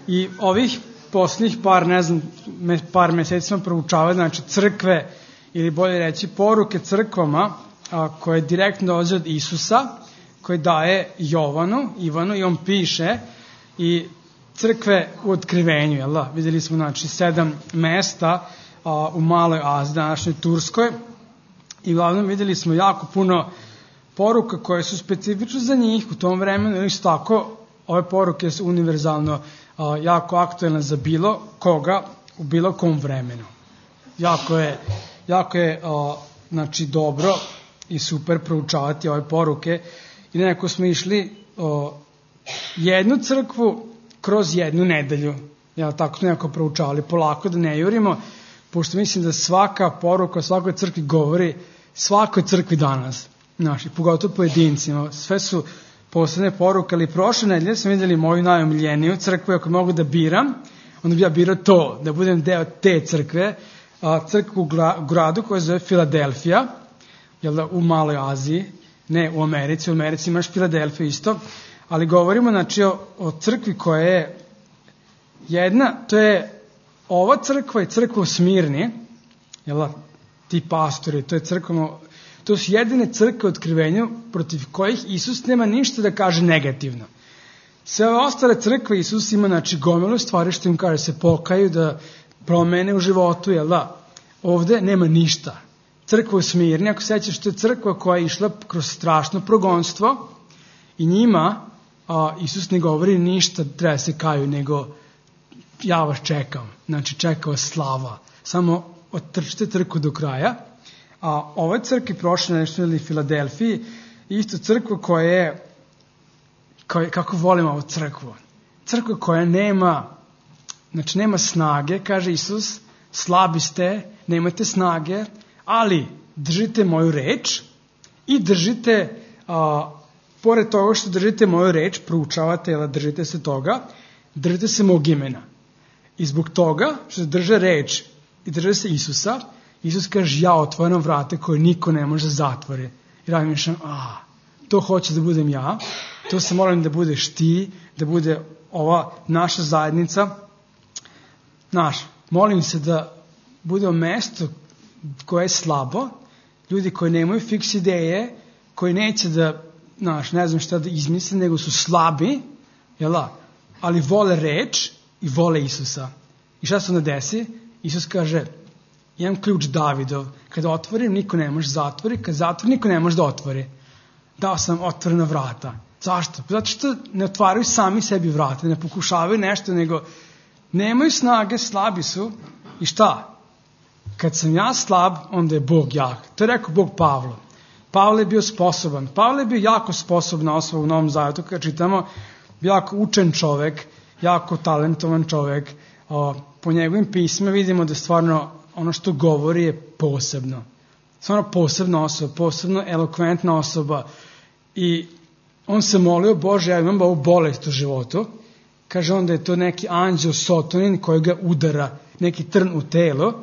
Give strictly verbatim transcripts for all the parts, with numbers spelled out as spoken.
I ovih posljednjih par, ne znam, par meseci smo proučavali, znači crkve, ili bolje reći poruke crkvama, a, koje direktno dolaze od Isusa, koje daje Jovanu, Ivanu, i on piše, i crkve u otkrivenju, jel da? Videli smo, znači, sedam mesta a, u Maloj Aziji, današnjoj Turskoj, i uglavnom videli smo jako puno poruka koje su specifične za njih u tom vremenu, isto tako, ove poruke su univerzalno a, jako aktuelne za bilo koga u bilo kom vremenu. Jako je, jako je a, znači, dobro i super proučavati ove poruke. I nekako smo išli o, jednu crkvu kroz jednu nedelju. Ja tako smo nekako proučavali, polako da ne jurimo, pošto mislim da svaka poruka svakoj crkvi govori svakoj crkvi danas, naši, pogotovo pojedincima. Sve su poslednje poruke, ali prošle nedelje smo videli moju najomiljeniju crkvu, ako mogu da biram, onda bi ja birao to, da budem deo te crkve, a, crkvu u gradu koja se zove Filadelfija, jel da, u Maloj Aziji, ne u Americi, u Americi imaš Filadelfiju isto, ali govorimo, znači, o, o crkvi koja je jedna, to je ova crkva i crkva u Smirni, jel da, ti pastori, to je crkva, to su jedine crkve u otkrivenju protiv kojih Isus nema ništa da kaže negativno. Sve ove ostale crkve Isus ima, znači, gomilu stvari što im kaže se pokaju, da promene u životu, jel da? Ovde nema ništa. Crkva u Smirni, ako sećaš, to je crkva koja je išla kroz strašno progonstvo i njima a, Isus ne govori ništa, treba se kaju, nego ja vas čekam, znači čeka vas slava. Samo otrčite trku do kraja. A ovoj crkvi prošle nešto ili Filadelfiji, isto crkva koja je, koja, kako volimo ovu crkvu, crkva koja nema, znači nema snage, kaže Isus, slabi ste, nemate snage, ali držite moju reč i držite, a, pored toga što držite moju reč, proučavate, jel, držite se toga, držite se mog imena. I zbog toga što drže reč i drže se Isusa, Isus kaže, ja otvaram vrate koje niko ne može zatvori. I razmišljam, a, to hoće da budem ja, to se molim da budeš ti, da bude ova naša zajednica. Naš, molim se da bude mesto koje je slabo, ljudi koji nemaju fiks ideje, koji neće da, naš, ne znam šta da izmisle, nego su slabi, jel, ali vole reč i vole Isusa. I šta se onda desi? Isus kaže, imam ključ Davidov, kada otvorim, niko ne može zatvori, kada zatvorim, niko ne može da otvori. Dao sam otvorena vrata. Zašto? Zato što ne otvaraju sami sebi vrata, ne pokušavaju nešto, nego nemaju snage, slabi su. I šta? Kad sam ja slab, onda je Bog jak. To je rekao Bog Pavlu. Pavle je bio sposoban. Pavle je bio jako sposobna osoba u Novom Zavjetu, kada čitamo, jako učen čovek, jako talentovan čovek. O, po njegovim pismima vidimo da stvarno ono što govori je posebno. Stvarno posebna osoba, posebno elokventna osoba. I on se molio, Bože, ja imam ovu bolest u životu. Kaže on da je to neki anđeo Sotonin koji ga udara, neki trn u telo.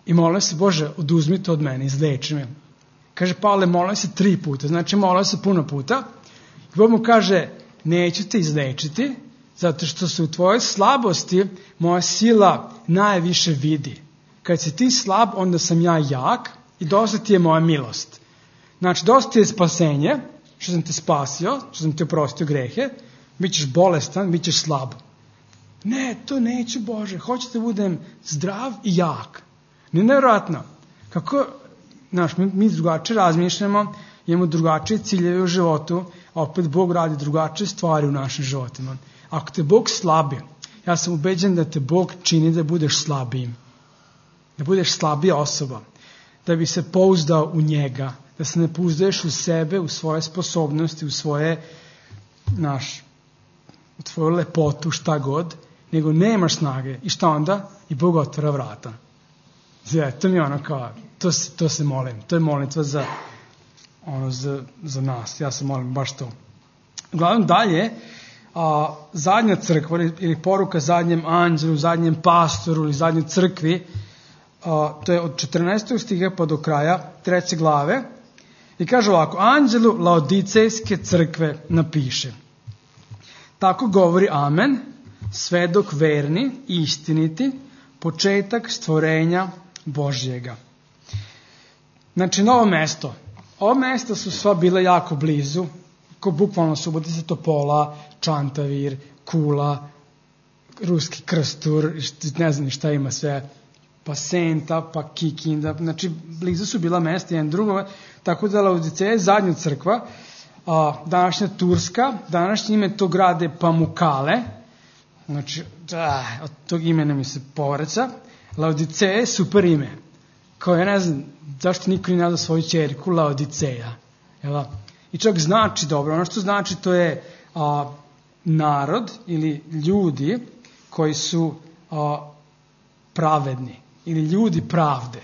I molio se, Bože, oduzmi to od mene, izleči me. Kaže Pavle, molio se tri puta, znači molio se puno puta. I Bog mu kaže, neću te izlečiti, zato što se u tvojoj slabosti moja sila najviše vidi. Kad si ti slab, onda sam ja jak i dosta ti je moja milost. Znači, dosta ti je spasenje, što sam te spasio, što sam te oprostio grehe, bit ćeš bolestan, bit ćeš slab. Ne, to neću, Bože, hoću da budem zdrav i jak. Nevjerojatno. Kako, znaš, mi, mi drugačije razmišljamo, imamo drugačije ciljeve u životu, a opet Bog radi drugačije stvari u našim životima. Ako te Bog slabi, ja sam ubeđen da te Bog čini da budeš slabijim. Da budeš slabija osoba. Da bi se pouzdao u njega. Da se ne pouzdaješ u sebe, u svoje sposobnosti, u svoje, naš, u tvoju lepotu, šta god, nego nemaš snage. I šta onda? I Bog otvara vrata. Zve, to mi je ono kao, to, to se molim. To je molitva za, ono, za, za nas. Ja se molim baš to. Uglavnom dalje, a, zadnja crkva ili poruka zadnjem anđelu, zadnjem pastoru ili zadnjoj crkvi, a, to je od četrnaestog stiha pa do kraja treće glave. I kaže ovako, anđelu Laodicejske crkve napiše. Tako govori Amen, svedok verni i istiniti, početak stvorenja Božjega. Znači, novo mesto. Ovo mesta su sva bila jako blizu, ko bukvalno Subotica, Topola, Čantavir, Kula, Ruski Krstur, ne znam šta ima sve, pa Senta, pa Kikinda, znači blizu su bila mesta jedan drugome, tako da Laodiceja je zadnja crkva, a, današnja Turska, današnje ime tog grada je Pamukale, znači da, od tog imena mi se povraća. Laodiceja je super ime, kao ja ne znam zašto niko ne nazva svoju ćerku Laodiceja, jel? I čak znači dobro, ono što znači to je a, narod ili ljudi koji su a, pravedni ili ljudi pravde,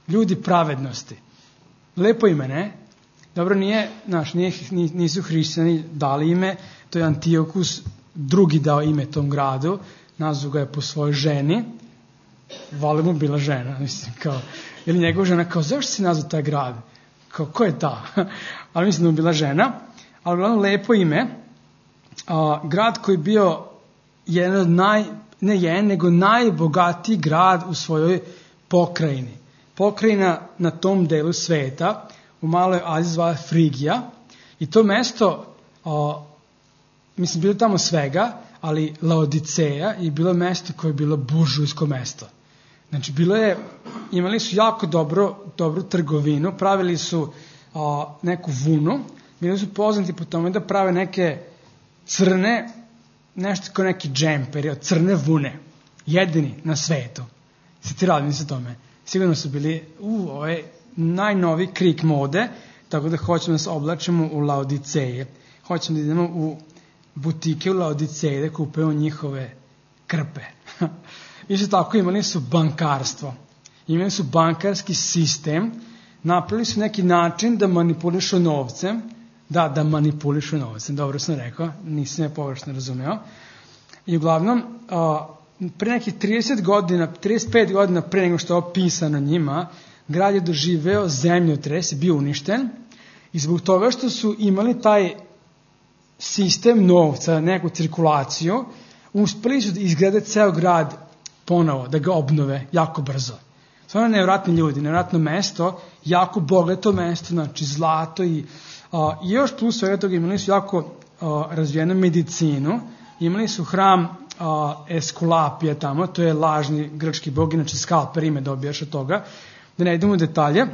ljudi pravednosti. Lepo ime, ne? Dobro, nije, znaš, nije, nisu hrišćani dali ime, to je Antiokus drugi dao ime tom gradu, nazvao ga je po svojoj ženi, valjda mu bila žena, mislim, kao, ili njegova žena, kao, zašto si nazvao taj grad? Kao, ko je ta? Ali mislim da mu bila žena, ali uglavnom lepo ime, a, grad koji je bio jedan od naj, ne jedan, nego najbogatiji grad u svojoj pokrajini. Pokrajina na tom delu sveta, u maloj Aziji zvala Frigija, i to mesto, a, mislim, bilo tamo svega, ali Laodiceja je bilo mesto koje je bilo buržujsko mesto. Znači, bilo je, imali su jako dobro, dobru trgovinu, pravili su a, neku vunu, bili su poznati po tome da prave neke crne, nešto kao neki džemperi od crne vune, jedini na svetu. Se ti radim sa tome. Sigurno su bili, u, ovo je najnovi krik mode, tako da hoćemo da se oblačimo u Laodiceje. Hoćemo da idemo u butike u Laodiceje da kupujemo njihove krpe. Isto tako imali su bankarstvo. Imali su bankarski sistem, napravili su neki način da manipulišu novcem, da, da manipulišu novcem, dobro sam rekao, nisam je površno razumeo. I uglavnom, pre nekih trideset godina, trideset pet godina pre nego što je opisano njima, grad je doživeo zemljotres, bio uništen, i zbog toga što su imali taj sistem novca, neku cirkulaciju, uspeli su da izgrade ceo grad ponovo, da ga obnove jako brzo. Stvarno nevjerojatni ljudi, nevjerojatno mesto, jako bogato mesto, znači zlato i, a, i još plus svega toga imali su jako a, razvijenu medicinu, imali su hram a, Eskulapija tamo, to je lažni grčki bog, inače skalper ime dobijaš od toga, da ne idemo u detalje,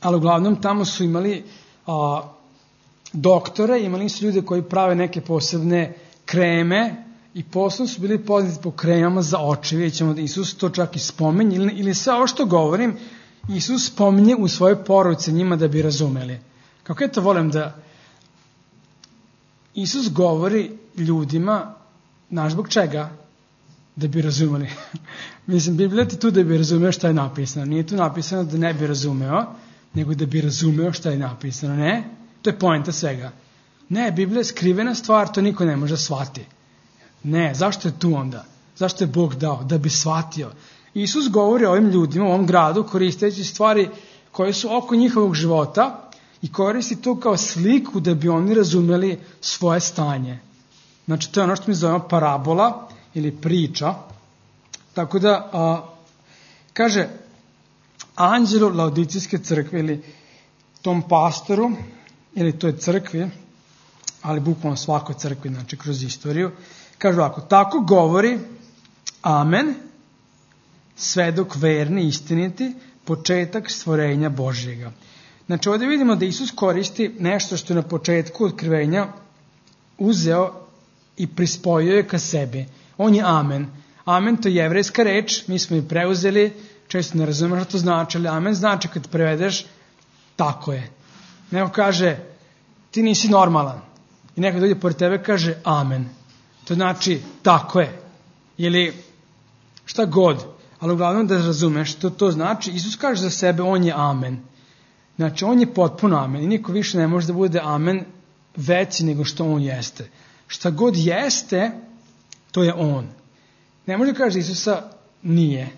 ali uglavnom tamo su imali a, doktore, imali su ljude koji prave neke posebne kreme i posebno su bili poznati po kremama za oči. Vidjet ćemo da Isus to čak i spominje, ili, ili sve ovo što govorim, Isus spominje u svojoj poruci njima da bi razumeli. Kako ja to volim da Isus govori ljudima, znaš zbog čega? Da bi razumeli. Mislim, Biblija ti tu da bi razumeo šta je napisano. Nije tu napisano da ne bi razumeo, nego da bi razumeo šta je napisano. Ne? To je poenta svega. Ne, Biblija je skrivena stvar, to niko ne može shvati. Ne, zašto je tu onda? Zašto je Bog dao? Da bi shvatio. Isus govori o ovim ljudima, u ovom gradu, koristeći stvari koje su oko njihovog života i koristi to kao sliku da bi oni razumeli svoje stanje. Znači, to je ono što mi zovemo parabola ili priča. Tako da, a, kaže, anđelu Laodicijske crkve ili tom pastoru, ili toj crkvi, ali bukvalno svakoj crkvi, znači kroz istoriju, kaže ovako, tako govori Amen, svedok verni, istiniti, početak stvorenja Božjega. Znači ovdje vidimo da Isus koristi nešto što je na početku otkrivenja uzeo i prispojio je ka sebi. On je Amen. Amen to je jevrejska reč, mi smo je preuzeli, često ne razumemo što to znači, ali Amen znači kad prevedeš tako je. Neko kaže ti nisi normalan i neko dođe pored tebe kaže Amen. To znači tako je. Ili šta god. Ali uglavnom da razumeš što to znači. Isus kaže za sebe on je Amen. Znači on je potpuno Amen. I niko više ne može da bude Amen veći nego što on jeste. Šta god jeste, to je on. Ne može da kaže Isusa nije.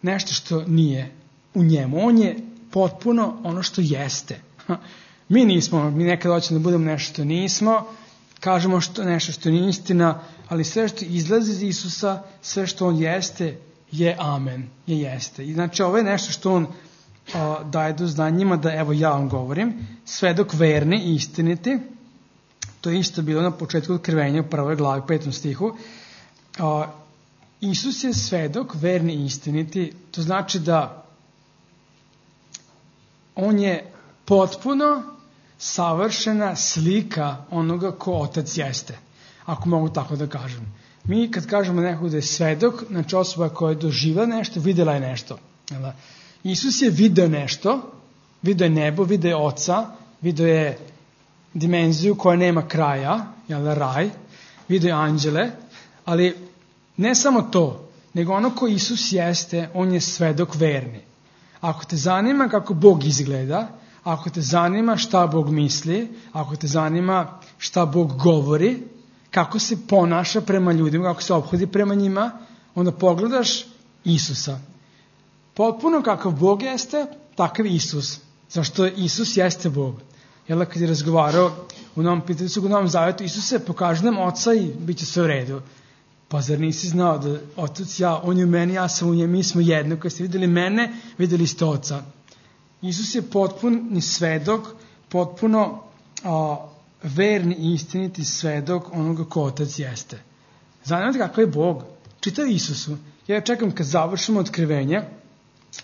Nešto što nije u njemu. On je potpuno ono što jeste. Mi nismo, mi nekada hoćemo da budemo nešto što nismo, kažemo što, nešto što nije istina, ali sve što izlazi iz Isusa, sve što on jeste, je amen, je jeste. I znači ovo je nešto što on a, daje do znanja njima, da evo ja vam govorim, svedok verni i istiniti, to je isto bilo na početku otkrivenja u prvoj glavi, petom stihu. A, Isus je svedok verni i istiniti, to znači da on je potpuno savršena slika onoga ko Otac jeste, ako mogu tako da kažem. Mi kad kažemo nekog da je svedok, znači osoba koja je doživjela nešto, vidjela je nešto. Isus je video nešto, video je nebo, video je Oca, video je dimenziju koja nema kraja, jel, raj, video je anđele, ali ne samo to, nego ono ko Isus jeste, on je svedok verni. Ako te zanima kako Bog izgleda, ako te zanima šta Bog misli, ako te zanima šta Bog govori, kako se ponaša prema ljudima, kako se ophodi prema njima, onda pogledaš Isusa. Potpuno kakav Bog jeste, takav Isus. Zašto Isus jeste Bog. Jel, kad je razgovarao u Novom Pitalicu, u Novom Zavjetu, Isuse, pokaži nam Oca i bit će sve u redu. Pa zar nisi znao da Otac, ja, on je u meni, ja sam u njemu, mi smo jedno. Kad ste vidjeli mene, vidjeli ste Oca. Isus je potpuni svedok, potpuno a, verni i istiniti svedok onoga ko Otac jeste. Zanimate kakav je Bog? Čitaj Isusu. Ja čekam kad završimo otkrivenje,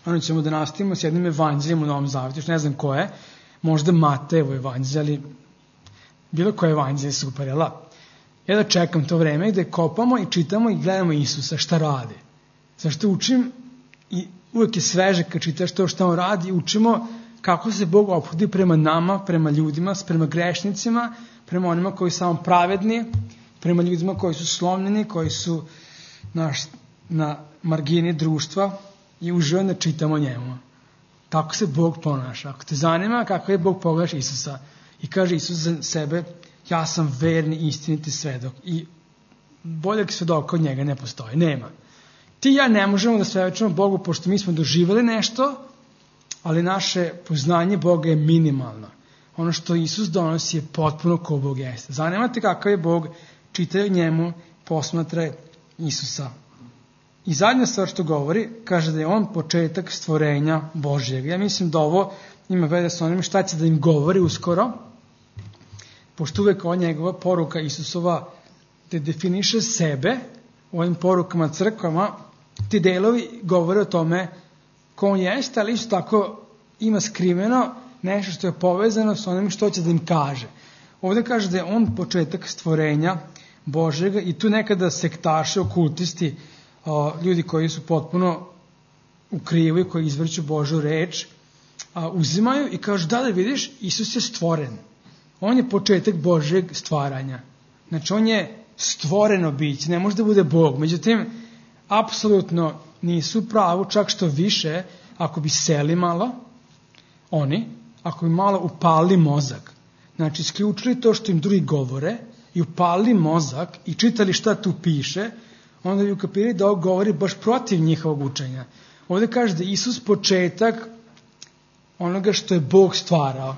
onda ćemo da nastavimo s jednim evanđeljem u Novom Zavjetu, još ne znam ko je, možda Matejevo evanđelje, ali bilo koje evanđelje super, jel da? Ja da čekam to vreme gde kopamo i čitamo i gledamo Isusa šta radi. Zašto učim i uvek je sveže kad čitaš to što on radi, učimo kako se Bog ophodi prema nama, prema ljudima, prema grešnicima, prema onima koji su samo pravedni, prema ljudima koji su slomljeni, koji su naš, na margini društva i uživamo da čitamo njemu. Kako se Bog ponaša. Ako te zanima kako je Bog pogledaš Isusa i kaže Isus za sebe, ja sam verni istiniti svedok i boljeg svedoka od njega ne postoji, nema. Ti i ja ne možemo da svedočimo Bogu pošto mi smo doživjeli nešto, ali naše poznanje Boga je minimalno. Ono što Isus donosi je potpuno ko Bog jeste. Zanimate kakav je Bog, čitaj njemu, posmatraj Isusa. I zadnja stvar što govori, kaže da je on početak stvorenja Božjeg. Ja mislim da ovo ima veze sa onim šta će da im govori uskoro, pošto uvek ova njegova poruka Isusova te definiše sebe u ovim porukama crkvama, ti delovi govore o tome ko on jeste, ali isto tako ima skriveno nešto što je povezano s onim što će da im kaže. Ovdje kaže da je on početak stvorenja Božjega i tu nekada sektaši, okultisti, ljudi koji su potpuno u krivu i koji izvrću Božju reč, uzimaju i kažu da da vidiš, Isus je stvoren. On je početak Božjeg stvaranja. Znači on je stvoreno biće, ne može da bude Bog. Međutim, apsolutno nisu pravu, čak što više, ako bi seli malo, oni, ako bi malo upali mozak, znači isključili to što im drugi govore i upali mozak i čitali šta tu piše, onda bi ukapirali da ovo govori baš protiv njihovog učenja. Ovdje kaže da je Isus početak onoga što je Bog stvarao.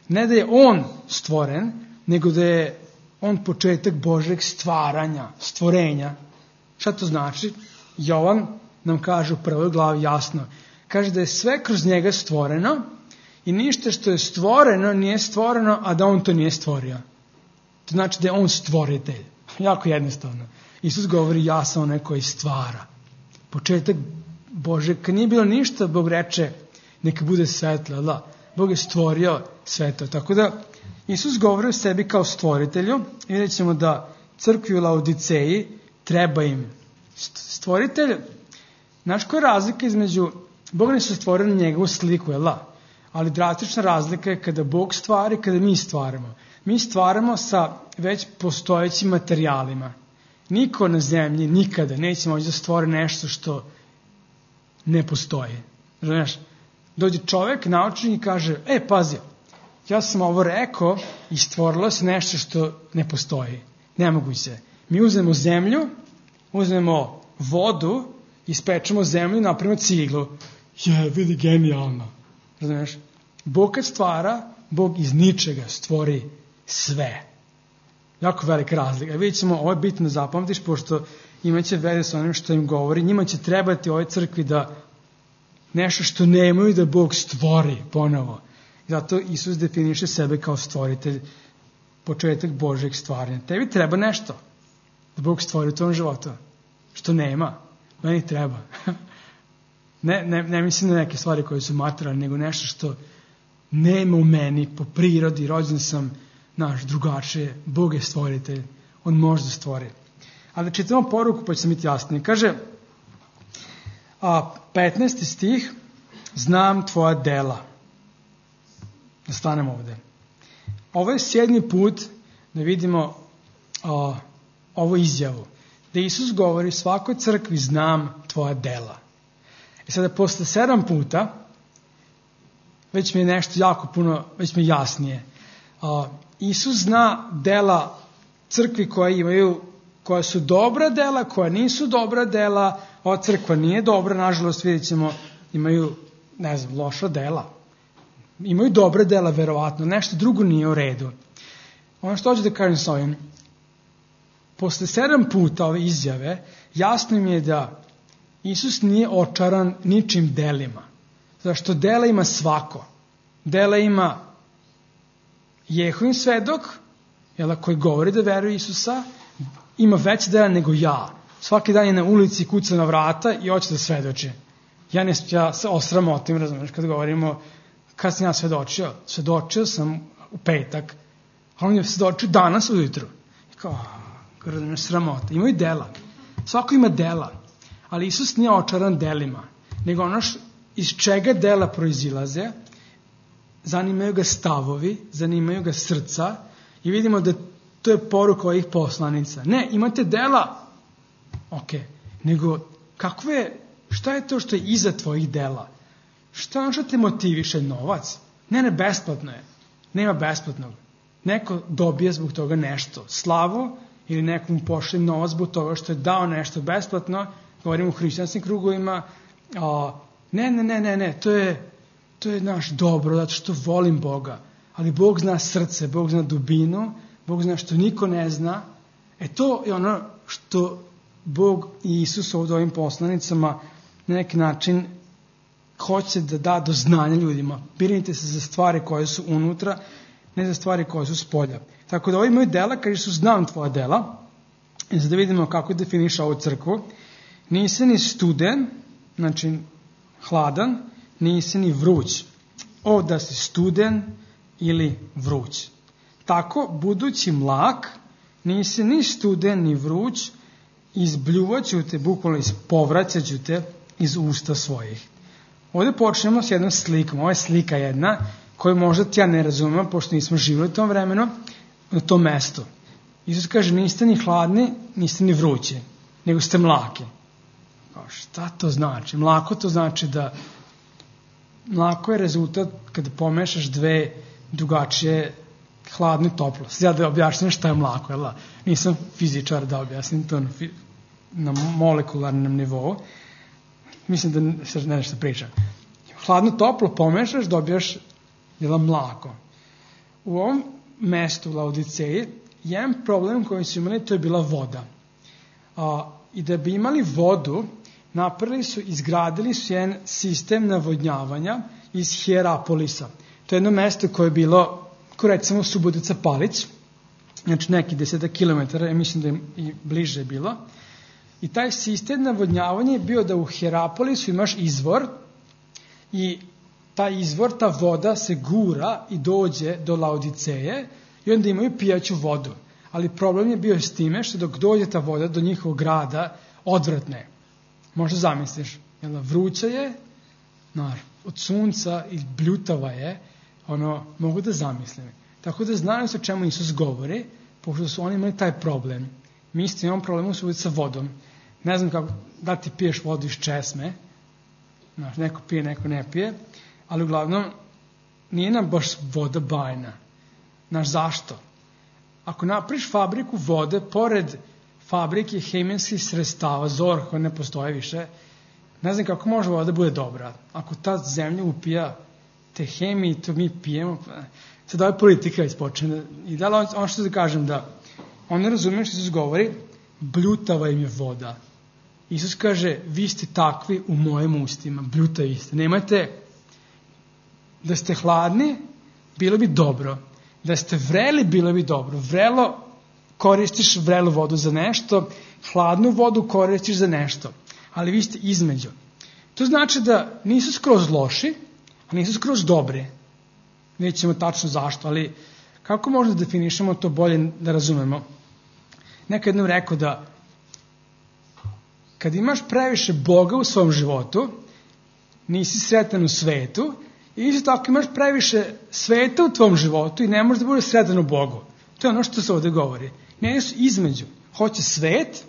Ne da je on stvoren, nego da je on početak Božjeg stvaranja, stvorenja. Šta to znači? Jovan nam kaže u prvoj glavi jasno. Kaže da je sve kroz njega stvoreno i ništa što je stvoreno nije stvoreno, a da on to nije stvorio. To znači da je on stvoritelj. Jako jednostavno. Isus govori ja sam onaj koji stvara. Početak Božeg. Kad nije bilo ništa, Bog reče neka bude svetlo. Da. Bog je stvorio svetlo. Tako da Isus govori o sebi kao stvoritelju. I vidjet ćemo da crkvi u Laodiceji treba im stvoritelj. Znaš koja je razlika između Bog ne su stvorili njegovu sliku, jel da? Ali drastična razlika je kada Bog stvari, kada mi stvaramo. Mi stvaramo sa već postojećim materijalima. Niko na zemlji nikada neće moći da stvori nešto što ne postoji. Znaš, dođe čovjek, naučnik i kaže, e, pazi, ja sam ovo rekao i stvorilo se nešto što ne postoji. Nemoguće. Mi uzmemo zemlju, uzmemo vodu, ispečemo zemlju i napravimo ciglu. Je, vidi, genijalno. Znaš, Bog kad stvara, Bog iz ničega stvori sve. Jako velika razlika. Vidjet ćemo, ovo je bitno zapamtiš, pošto imaće veze sa onim što im govori. Njima će trebati ovoj crkvi da nešto što nemaju da Bog stvori ponovo. Zato Isus definiše sebe kao stvoritelj, početak Božeg stvaranja. Tebi treba nešto da Bog stvori u tom životu. Što nema. Meni treba. ne, ne, ne mislim na neke stvari koje su materijalne, nego nešto što nema u meni po prirodi. Rođen sam naš drugačije. Bog je stvoritelj. On može da stvori. Ali da čitamo poruku, pa će sam biti jasnije. Kaže, a petnaesti stih, znam tvoja dela. Da stanemo ovde. Ovo je sedmi put da vidimo a, ovu izjavu. Da Isus govori svakoj crkvi znam tvoja dela. I sada posle sedam puta već mi je nešto jako puno, već mi je jasnije. A, Isus zna dela crkvi koje imaju, koja su dobra dela, koja nisu dobra dela. Ova crkva nije dobra, nažalost vidjet ćemo, imaju, ne znam, loša dela. Imaju dobre dela, verovatno, nešto drugo nije u redu. Ono što hoću da kažem s ovim, posle sedam puta ove izjave, jasno mi je da Isus nije očaran ničim delima. Zašto dela ima svako. Dela ima Jehovin svedok, jel, koji govori da veruje Isusa, ima veće dela nego ja. Svaki dan je na ulici, kuca na vrata i hoće da svedoči. Ja, ne, ja se osramotim, razumiješ, kad govorimo kad sam ja svedočio. Svedočio sam u petak, a on je svedočio danas ujutru. I kao, razumiješ, sramota. Imaju dela. Svako ima dela. Ali Isus nije očaran delima, nego ono š, iz čega dela proizilaze, zanimaju ga stavovi, zanimaju ga srca i vidimo da to je poruka ovih poslanica. Ne, imate dela, ok, nego kakve, šta je to što je iza tvojih dela? Šta ono što te motiviše? Novac? Ne, ne, besplatno je. Nema besplatnog. Neko dobije zbog toga nešto. Slavu ili nekom pošle novac zbog toga što je dao nešto besplatno. Govorimo u hrišćanskim krugovima. A, ne, ne, ne, ne, ne, to je, to je naš dobro, zato što volim Boga. Ali Bog zna srce, Bog zna dubinu, Bog zna što niko ne zna. E to je ono što Bog i Isus ovdje ovim poslanicama na neki način hoće da da do znanja ljudima. Brinite se za stvari koje su unutra, ne za stvari koje su spolja. Tako da ovi moji dela, kaže su znam tvoja dela, i da vidimo kako definiša ovu crkvu, nisi ni studen, znači hladan, nisi ni vruć. O da si studen ili vruć. Tako, budući mlak, nisi ni studen ni vruć, izbljuvat ću te, bukvalno ispovraćat ću te iz usta svojih. Ovdje počnemo s jednom slikom. Ovo je slika jedna koju možda ti ja ne razumem, pošto nismo živjeli u tom vremenu, na tom mestu. Isus kaže, niste ni hladni, niste ni vrući, nego ste mlaki. Šta to znači? Mlako to znači da mlako je rezultat kada pomešaš dve drugačije hladno i toplo. Sada da objašnjam šta je mlako, jel? Nisam fizičar da objasnim to na, na molekularnom nivou. Mislim da se ne nešto pričam. Hladno toplo pomešaš, dobijaš jel, mlako. U ovom mestu u Laodiceji jedan problem koji su imali, to je bila voda. A, I da bi imali vodu, napravili su, izgradili su jedan sistem navodnjavanja iz Hierapolisa. To je jedno mesto koje je bilo, ko recimo Subotica Palić, znači neki desetak kilometara, ja mislim da je i bliže bilo. I taj sistem navodnjavanja je bio da u Hierapolisu imaš izvor i taj izvor, ta voda se gura i dođe do Laodiceje i onda imaju pijaću vodu. Ali problem je bio s time što dok dođe ta voda do njihovog grada, odvratne. Možda zamisliš, jel, vruća je, nar, od sunca i bljutava je, ono, mogu da zamislim. Tako da znaju se o čemu Isus govori, pošto su oni imali taj problem. Mi isto imamo problem u sa vodom. Ne znam kako da ti piješ vodu iz česme, znaš, neko pije, neko ne pije, ali uglavnom nije nam baš voda bajna. Znaš, zašto? Ako napriš fabriku vode, pored fabrike hemijskih sredstava, zor koja ne postoje više, ne znam kako može voda da bude dobra. Ako ta zemlja upija te hemije, to mi pijemo, sad ova politika ispočne. I da li ono što da kažem da Oni razumiju što Isus govori, bljutava im je voda. Isus kaže, vi ste takvi u mojim ustima, bljutavi ste. Nemate, da ste hladni, bilo bi dobro. Da ste vreli, bilo bi dobro. Vrelo, koristiš vrelu vodu za nešto, hladnu vodu koristiš za nešto. Ali vi ste između. To znači da nisu skroz loši, a nisu skroz dobri. Vidjet ćemo tačno zašto, ali kako možda definišemo to bolje da razumemo? Nekad jednom rekao da kad imaš previše Boga u svom životu, nisi sretan u svetu, i isto tako imaš previše sveta u tvom životu i ne možeš da budeš sretan u Bogu. To je ono što se ovde govori. Ne su između. Hoće svet,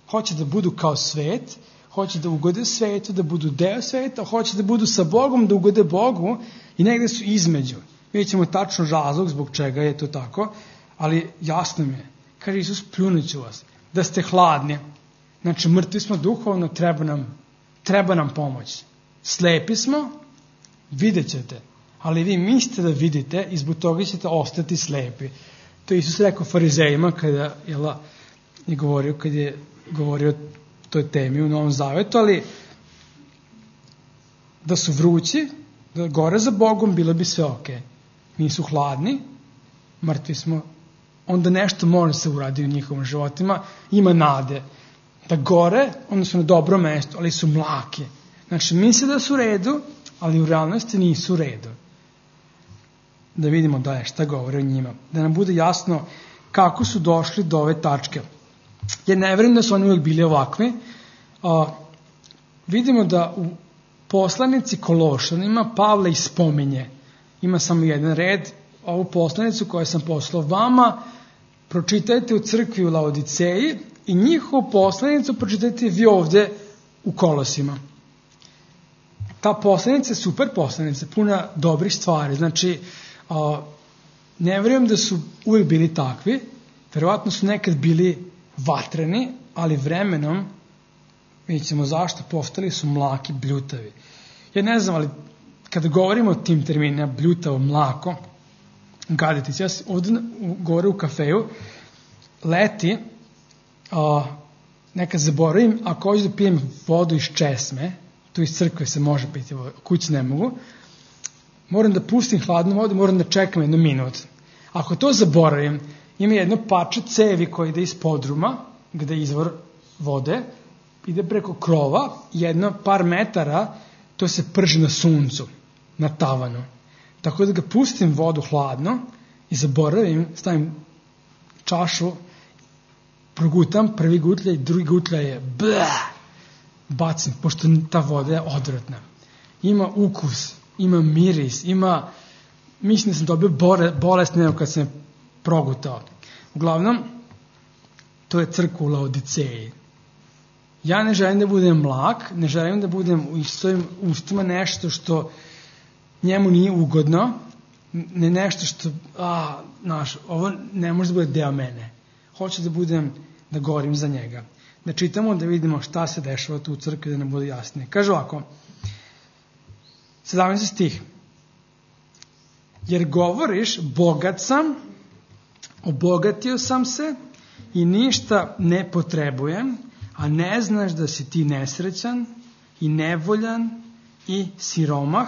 hoće da budu kao svet, hoće da ugode svetu, da budu deo sveta, hoće da budu sa Bogom, da ugode Bogu i negde su između. Vidjet ćemo tačno razlog zbog čega je to tako, ali jasno mi je. Kaže Isus, pljunut ću vas. Da ste hladni. Znači, mrtvi smo duhovno, treba nam, treba nam pomoć. Slepi smo, vidjet ćete. Ali vi mislite da vidite i zbog toga ćete ostati slepi. To je Isus rekao farizejima kada jela, je govorio, kad je govorio o toj temi u Novom Zavetu, ali da su vrući, da gore za Bogom, bilo bi sve ok. Nisu hladni, mrtvi smo, onda nešto može se uradi u njihovim životima, ima nade. Da gore, onda su na dobro mesto, ali su mlaki. Znači, misle da su u redu, ali u realnosti nisu u redu. Da vidimo da je šta govore o njima. Da nam bude jasno kako su došli do ove tačke. Jer ne verujem da su oni uvijek bili ovakvi. A, vidimo da u poslanici Kološanima Pavle ispominje. Ima samo jedan red. Ovu poslanicu koju sam poslao vama, pročitajte u crkvi u Laodiceji i njihovu poslanicu pročitajte vi ovde u Kolosima. Ta poslanica je super poslanica, puna dobrih stvari. Znači, a, ne verujem da su uvijek bili takvi, verovatno su nekad bili vatreni, ali vremenom, vidjet ćemo zašto, postali su mlaki, bljutavi. Ja ne znam, ali kada govorimo o tim terminima, bljutavo, mlako, gaditi se, ja ovdje gore u kafeju, leti, a, nekad zaboravim, ako hoću da pijem vodu iz česme, tu iz crkve se može piti, kući ne mogu, moram da pustim hladnu vodu, moram da čekam jednu minut. Ako to zaboravim, ima jedno pače cevi koje ide iz podruma, gde je izvor vode, ide preko krova, jedno par metara, to se prži na suncu, na tavanu. Tako da ga pustim vodu hladno i zaboravim, stavim čašu, progutam, prvi gutlja i drugi gutlja je bleh, bacim, pošto ta voda je odvratna. Ima ukus, ima miris, ima, mislim da sam dobio bolest nego kad sam je progutao. Uglavnom, to je crkva u Laodiceji. Ja ne želim da budem mlak, ne želim da budem u svojim ustima nešto što njemu nije ugodno, ne nešto što, a, znaš, ovo ne može da bude deo mene. Hoću da budem, da govorim za njega. Da čitamo, da vidimo šta se dešava tu u crkvi, da nam bude jasnije. Kaže ovako, sedamnaesti stih. Jer govoriš, bogat sam, obogatio sam se i ništa ne potrebujem, a ne znaš da si ti nesrećan i nevoljan i siromah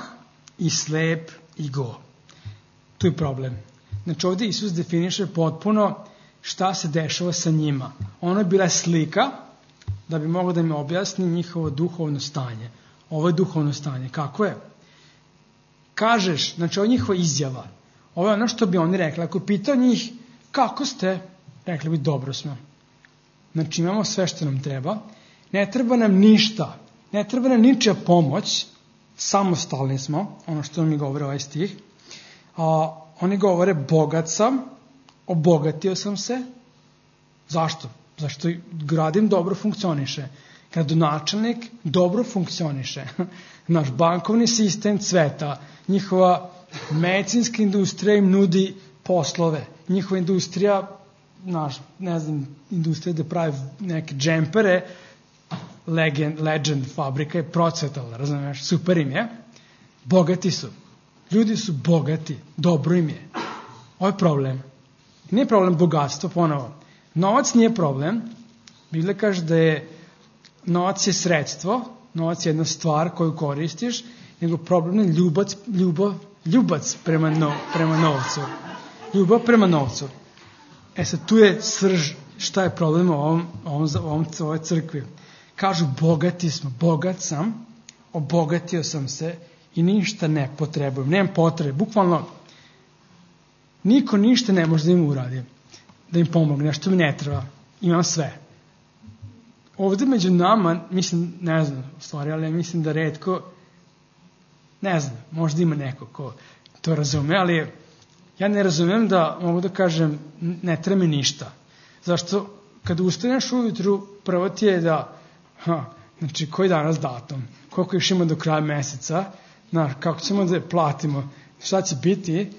i slep i go. Tu je problem. Znači ovdje Isus definiše potpuno šta se dešava sa njima. Ono je bila slika da bi moglo da im objasni njihovo duhovno stanje. Ovo je duhovno stanje. Kako je? Kažeš, znači ovo je njihova izjava. Ovo je ono što bi oni rekli. Ako pitao njih kako ste, rekli bi dobro smo. Znači imamo sve što nam treba. Ne treba nam ništa. Ne treba nam ničija pomoć. Samostalni smo. Ono što mi govore ovaj stih. A, oni govore bogat sam. Obogatio sam se. Zašto? Zašto gradim dobro funkcioniše. Gradonačelnik dobro funkcioniše. Naš bankovni sistem cveta. Njihova medicinska industrija im nudi poslove. Njihova industrija, naš, ne znam, industrija da pravi neke džempere, legend, legend fabrika je procvetala, razumiješ, super im je. Bogati su. Ljudi su bogati. Dobro im je. Ovo je problem. Nije problem bogatstvo, ponovo. Novac nije problem. Biblija kaže da je novac je sredstvo, novac je jedna stvar koju koristiš, nego problem je ljubac, ljubav, ljubac prema, no, prema novcu. Ljubav prema novcu. E sad, tu je srž šta je problem u ovom, ovom, ovom, ovoj crkvi. Kažu, bogati smo, bogat sam, obogatio sam se i ništa ne potrebujem. Nemam potrebe. Bukvalno, niko ništa ne može da im uradi. Da im pomogne, nešto mi ne treba. Imam sve. Ovde među nama, mislim, ne znam, u stvari, ali mislim da retko, ne znam, možda ima neko ko to razume, ali ja ne razumem da mogu da kažem ne treba mi ništa. Zašto kad ustaneš ujutru, prvo ti je da, ha, znači koji danas datum, koliko još ima do kraja meseca, znaš, kako ćemo da platimo, šta će biti,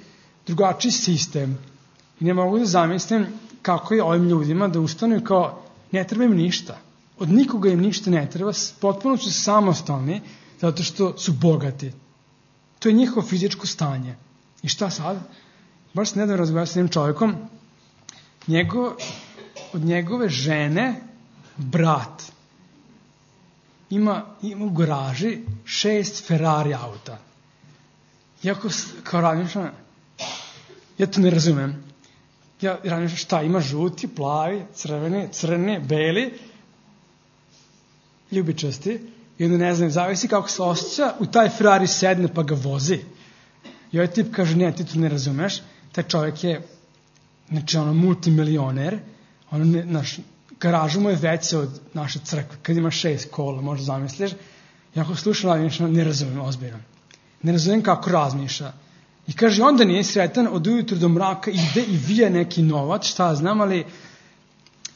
drugačiji sistem. I ne mogu da zamislim kako je ovim ljudima da ustanu i kao ne treba im ništa. Od nikoga im ništa ne treba, potpuno su samostalni zato što su bogati. To je njihovo fizičko stanje. I šta sad? Baš se nedavno razgovarao s jednim čovjekom, njego, od njegove žene brat ima, ima u garaži šest Ferrari auta. Iako kao razmišljam, ja to ne razumem. Ja razmišljam šta, ima žuti, plavi, crveni, crni, beli, ljubičasti, i onda ne znam, zavisi kako se osjeća, u taj Ferrari sedne pa ga vozi. I ovaj tip kaže, ne, ti to ne razumeš, taj čovjek je, znači ono, multimilioner, ono, ne, naš, garaža mu je veća od naše crkve, kad ima šest kola, možda zamisliš, i ako slušam, ne razumem, ozbiljno. Ne razumem kako razmišlja. I kaže, onda nije sretan, od ujutru do mraka ide i vije neki novac, šta znam, ali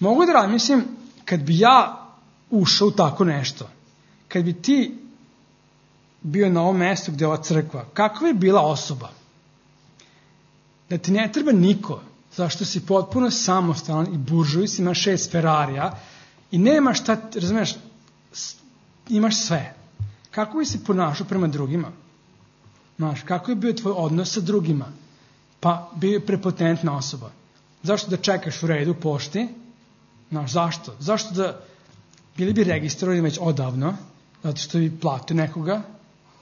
mogu da razmislim, kad bi ja ušao u tako nešto, kad bi ti bio na ovom mjestu gdje je ova crkva, kakva je bila osoba? Da ti ne treba niko, zašto si potpuno samostalan i buržuis, imaš šest Ferrarija i nema šta, razumiješ, imaš sve. Kako bi se ponašao prema drugima? Znaš, kako je bio tvoj odnos sa drugima? Pa bio je prepotentna osoba. Zašto da čekaš u redu pošti? Znaš, zašto? Zašto da bili bi registrovani već odavno, zato što bi platio nekoga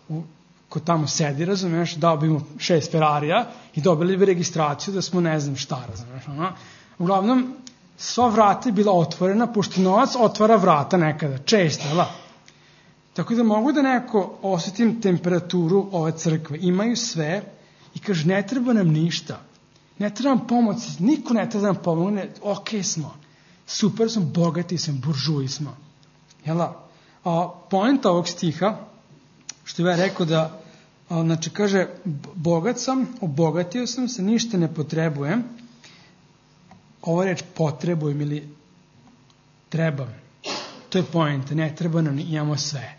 u, ko tamo sedi, razumiješ, dao bi mu šest Ferrarija i dobili bi registraciju da smo ne znam šta, razumiješ. Ono. Uglavnom, sva vrata je bila otvorena, pošto novac otvara vrata nekada, često, jel? Tako da mogu da neko osjetim temperaturu ove crkve. Imaju sve i kaže, ne treba nam ništa. Ne treba nam pomoć, niko ne treba nam pomogne, ok smo. Super smo, bogati smo, buržuji smo. Jela? A poenta ovog stiha, što je rekao da, a, znači kaže, bogat sam, obogatio sam se, ništa ne potrebujem. Ova reč potrebujem ili trebam. To je poenta, ne treba nam, imamo sve.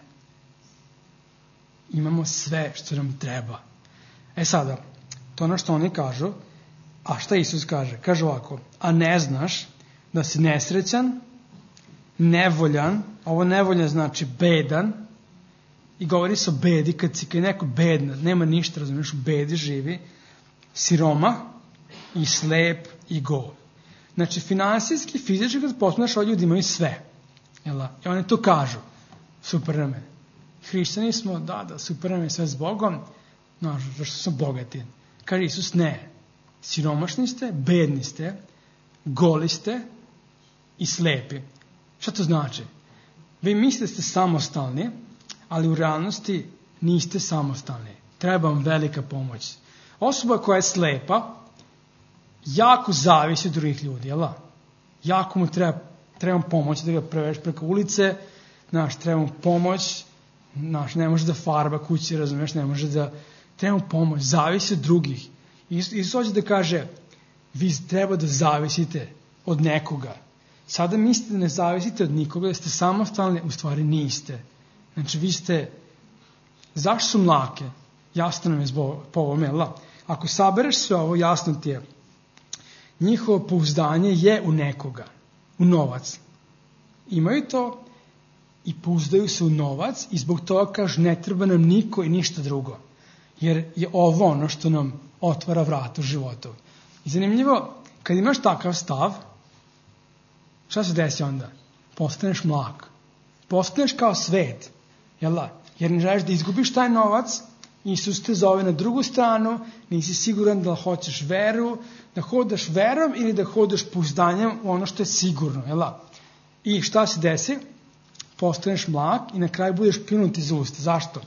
Imamo sve što nam treba. E sada, to ono što oni kažu, a šta Isus kaže? Kaže ovako, a ne znaš da si nesrećan, nevoljan, ovo nevoljan znači bedan, i govori se o bedi, kad si kad je neko bedna, nema ništa, razumiješ, u bedi živi, siroma i slep i go. Znači, finansijski, fizički, kad posmatraš, ovi ljudi imaju sve. Jel? I oni to kažu, super na mene. Hrišćani smo, da, da, super nam je sve s Bogom, no, zašto smo bogati. Kaže Isus, ne, siromašni ste, bedni ste, goli ste i slepi. Šta to znači? Vi mislite da ste samostalni, ali u realnosti niste samostalni. Treba vam velika pomoć. Osoba koja je slepa, jako zavisi od drugih ljudi, jel? Jako mu treba, treba pomoć da ga preveš preko ulice, znaš, treba mu pomoć, znaš, ne može da farba kući, razumiješ, ne može da, treba mu pomoć, zavisi od drugih. Isus hoće da kaže, vi treba da zavisite od nekoga. Sada mislite da ne zavisite od nikoga, da ste samostalni, u stvari niste. Znači, vi ste, zašto su mlake? Jasno nam je po ovome, jel? Ako sabereš sve ovo, jasno ti je, njihovo pouzdanje je u nekoga, u novac. Imaju to i pouzdaju se u novac i zbog toga kažu ne treba nam niko i ništa drugo. Jer je ovo ono što nam otvara vrata u životu. I zanimljivo, kad imaš takav stav, šta se desi onda? Postaneš mlak. Postaneš kao svet. Jel da? Jer ne želiš da izgubiš taj novac, Isus te zove na drugu stranu, nisi siguran da hoćeš veru, da hodaš verom ili da hodaš pouzdanjem u ono što je sigurno. Jel da? I šta se desi? Postaneš mlak i na kraju budeš pljunut iz usta. Zašto?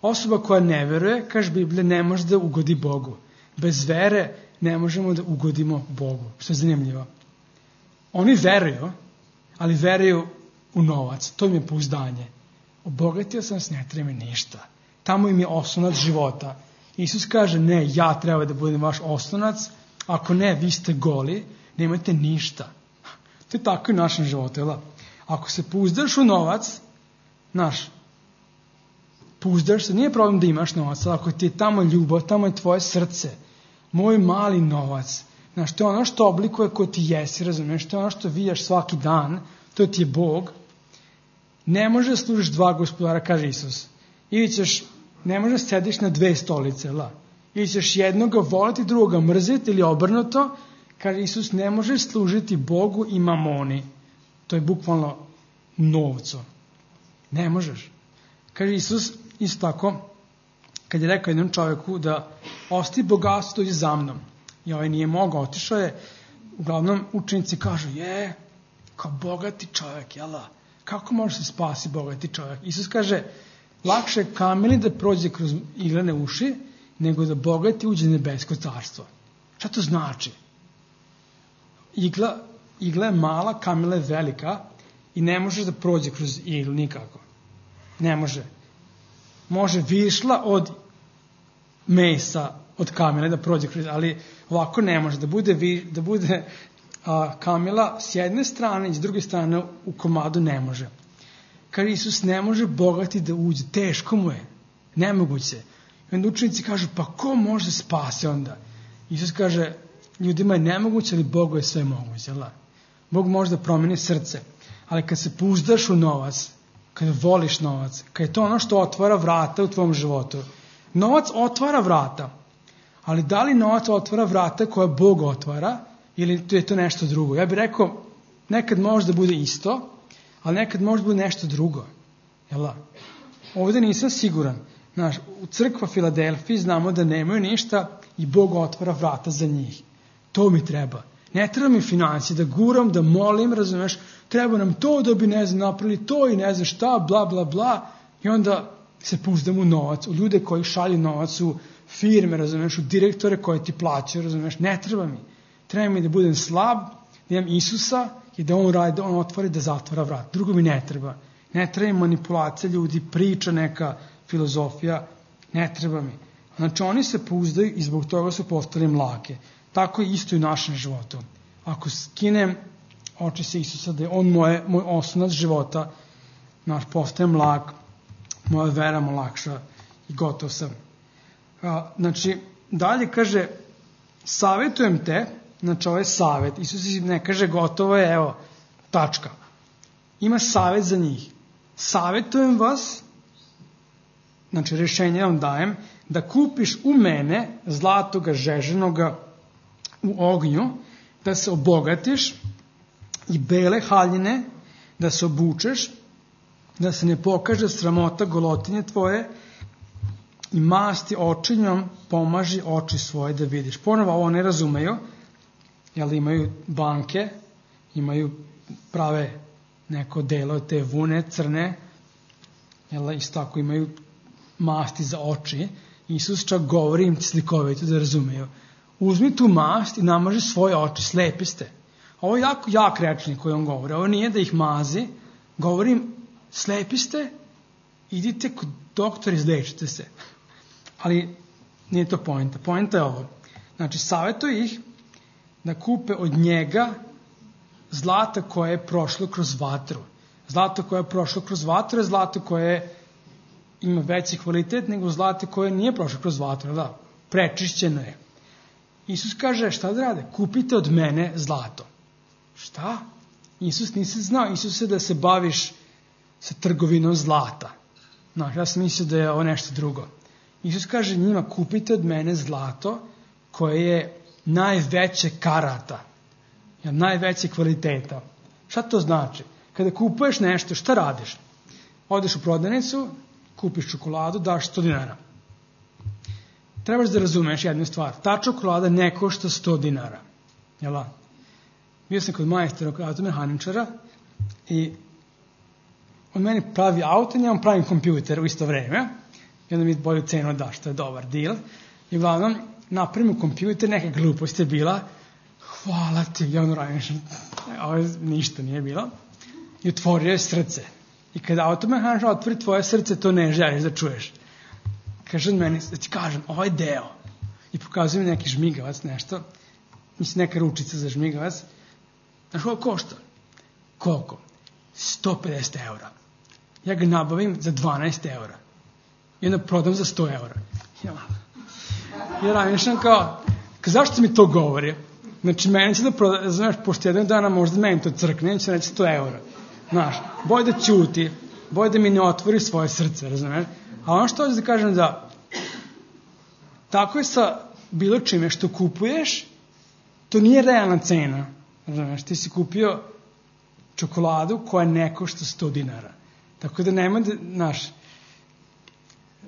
Osoba koja ne veruje, kaže Biblija, ne može da ugodi Bogu. Bez vere ne možemo da ugodimo Bogu. Što je zanimljivo. Oni veruju, ali veruju u novac. To im je pouzdanje. Obogatio sam se, ne treba mi ništa. Tamo im je oslonac života. Isus kaže, ne, ja treba da budem vaš oslonac. Ako ne, vi ste goli, nemate ništa. To je tako i u našem životu. Jel? Ako se pouzdaš u novac, naš, pouzdaš se, nije problem da imaš novac, ali ako ti je tamo ljubav, tamo je tvoje srce, moj mali novac, znaš, to je ono što oblikuje ko ti jesi, razumiješ, to je ono što vidiš svaki dan, to ti je Bog, ne može da služiš dva gospodara, kaže Isus. Ili ćeš, ne može da sediš na dve stolice, la. Ili ćeš jednoga voliti, drugoga mrziti, ili obrnuto, kaže Isus, ne možeš služiti Bogu i mamoni. To je bukvalno novcu. Ne možeš. Kaže Isus, isto tako, kad je rekao jednom čovjeku da ostavi bogatstvo, dođi za mnom. I ovaj nije mogao, otišao je. Uglavnom učenici kažu, je, kao bogati čovjek, jela? Kako može se spasi bogati čovjek? Isus kaže, lakše je kamili da prođe kroz iglene uši, nego da bogati uđe u nebesko carstvo. Šta to znači? Igla, igla je mala, kamila je velika i ne može da prođe kroz iglu nikako. Ne može. Može višla od mesa, od kamile da prođe kroz, ali ovako ne može. Da bude, da bude a, kamila s jedne strane i s druge strane u komadu ne može. Kaže Isus, ne može bogati da uđe. Teško mu je. Nemoguće. I onda učenici kažu, pa ko može da spase onda? Isus kaže, ljudima je nemoguće, ali Bogu je sve moguće. Jel? Bog može da promeni srce. Ali kad se pouzdaš u novac, kad voliš novac, kad je to ono što otvara vrata u tvom životu. Novac otvara vrata. Ali da li novac otvara vrata koje Bog otvara ili je to nešto drugo? Ja bih rekao, nekad može da bude isto, ali nekad može da bude nešto drugo. Jel? Ovdje nisam siguran. Znaš, u crkva Filadelfiji znamo da nemaju ništa i Bog otvara vrata za njih. To mi treba. Ne treba mi financije, da guram, da molim, razumeš, treba nam to da bi, ne znam, napravili to i ne znam šta, bla, bla, bla. I onda se pouzdam u novac, u ljude koji šalju novac, u firme, razumeš, u direktore koje ti plaćaju, razumeš, ne treba mi. Treba mi da budem slab, da imam Isusa i da on radi, da on otvori, da zatvara vrat. Drugo mi ne treba. Ne treba mi manipulacija ljudi, priča neka, filozofija, ne treba mi. Znači oni se pouzdaju i zbog toga su postali mlake. Tako je isto i u našem životu. Ako skinem oči se Isusa, da je on moje, moj osnovac života, naš postaje mlak, moja vera mu lakša i gotov sam. A, znači, dalje kaže, savjetujem te, znači ovo je savjet, Isus ne kaže gotovo je, evo, tačka. Ima savjet za njih. Savjetujem vas, znači rješenje vam dajem, da kupiš u mene zlatoga žeženoga u ognju, da se obogatiš i bele haljine, da se obučeš, da se ne pokaže sramota golotinje tvoje i masti očinjom pomaži oči svoje da vidiš. Ponovo ovo ne razumeju, jer imaju banke, imaju prave neko delo te vune crne, jel, isto tako imaju masti za oči. Isus čak govori im slikovito da razumeju. Uzmi tu mast i namaži svoje oči, slepi ste. Ovo je jako jak rečnik koji on govori. Ovo nije da ih mazi, govorim slepi ste, idite kod doktora, izlečite se. Ali nije to poenta. Poenta je ovo. Znači, savjetuje ih da kupe od njega zlata koje je prošlo kroz vatru. Zlato koje je prošlo kroz vatru je zlato koje ima veći kvalitet nego zlato koje nije prošlo kroz vatru. Da, prečišćeno je. Isus kaže, šta da rade? Kupite od mene zlato. Šta? Isus nisi znao. Isus je da se baviš sa trgovinom zlata. No, ja sam mislio da je ovo nešto drugo. Isus kaže njima, kupite od mene zlato koje je najveće karata, najveće kvaliteta. Šta to znači? Kada kupuješ nešto, šta radiš? Odeš u prodavnicu, kupiš čokoladu, daš sto dinara. Trebaš da razumeš jednu stvar. Ta čokolada ne košta sto dinara. Jel' da? Bio sam kod majstora, kod automehaničara i on meni pravi auto i ja vam pravim kompjuter u isto vreme. I onda mi bolju cenu da, što je dobar deal. I uglavnom, napravimo kompjuter, neka glupost je bila. Hvala ti, ja ono radim, ovo ništa nije bilo. I otvorio je srce. I kada automehaničar otvori tvoje srce, to ne želiš da čuješ. Kaže on meni, da ti kažem, ovaj deo. I pokazuje mi neki žmigavac, nešto. Mislim, neka ručica za žmigavac. Znaš koliko košta? Koliko? sto pedeset eura. Ja ga nabavim za dvanaest eura. I onda prodam za sto eura. Ja, ja razmišljam kao, zašto mi to govori? Znači, meni će da proda, znaš, pošto jedan dana možda meni to crkne, će reći sto eura. Znaš, boj da ćuti, boj da mi ne otvori svoje srce, razumiješ? A ono što hoću da kažem da, tako je sa bilo čime što kupuješ, to nije realna cena. Razumiješ, ti si kupio čokoladu koja ne košta sto dinara. Tako da nema da, znaš,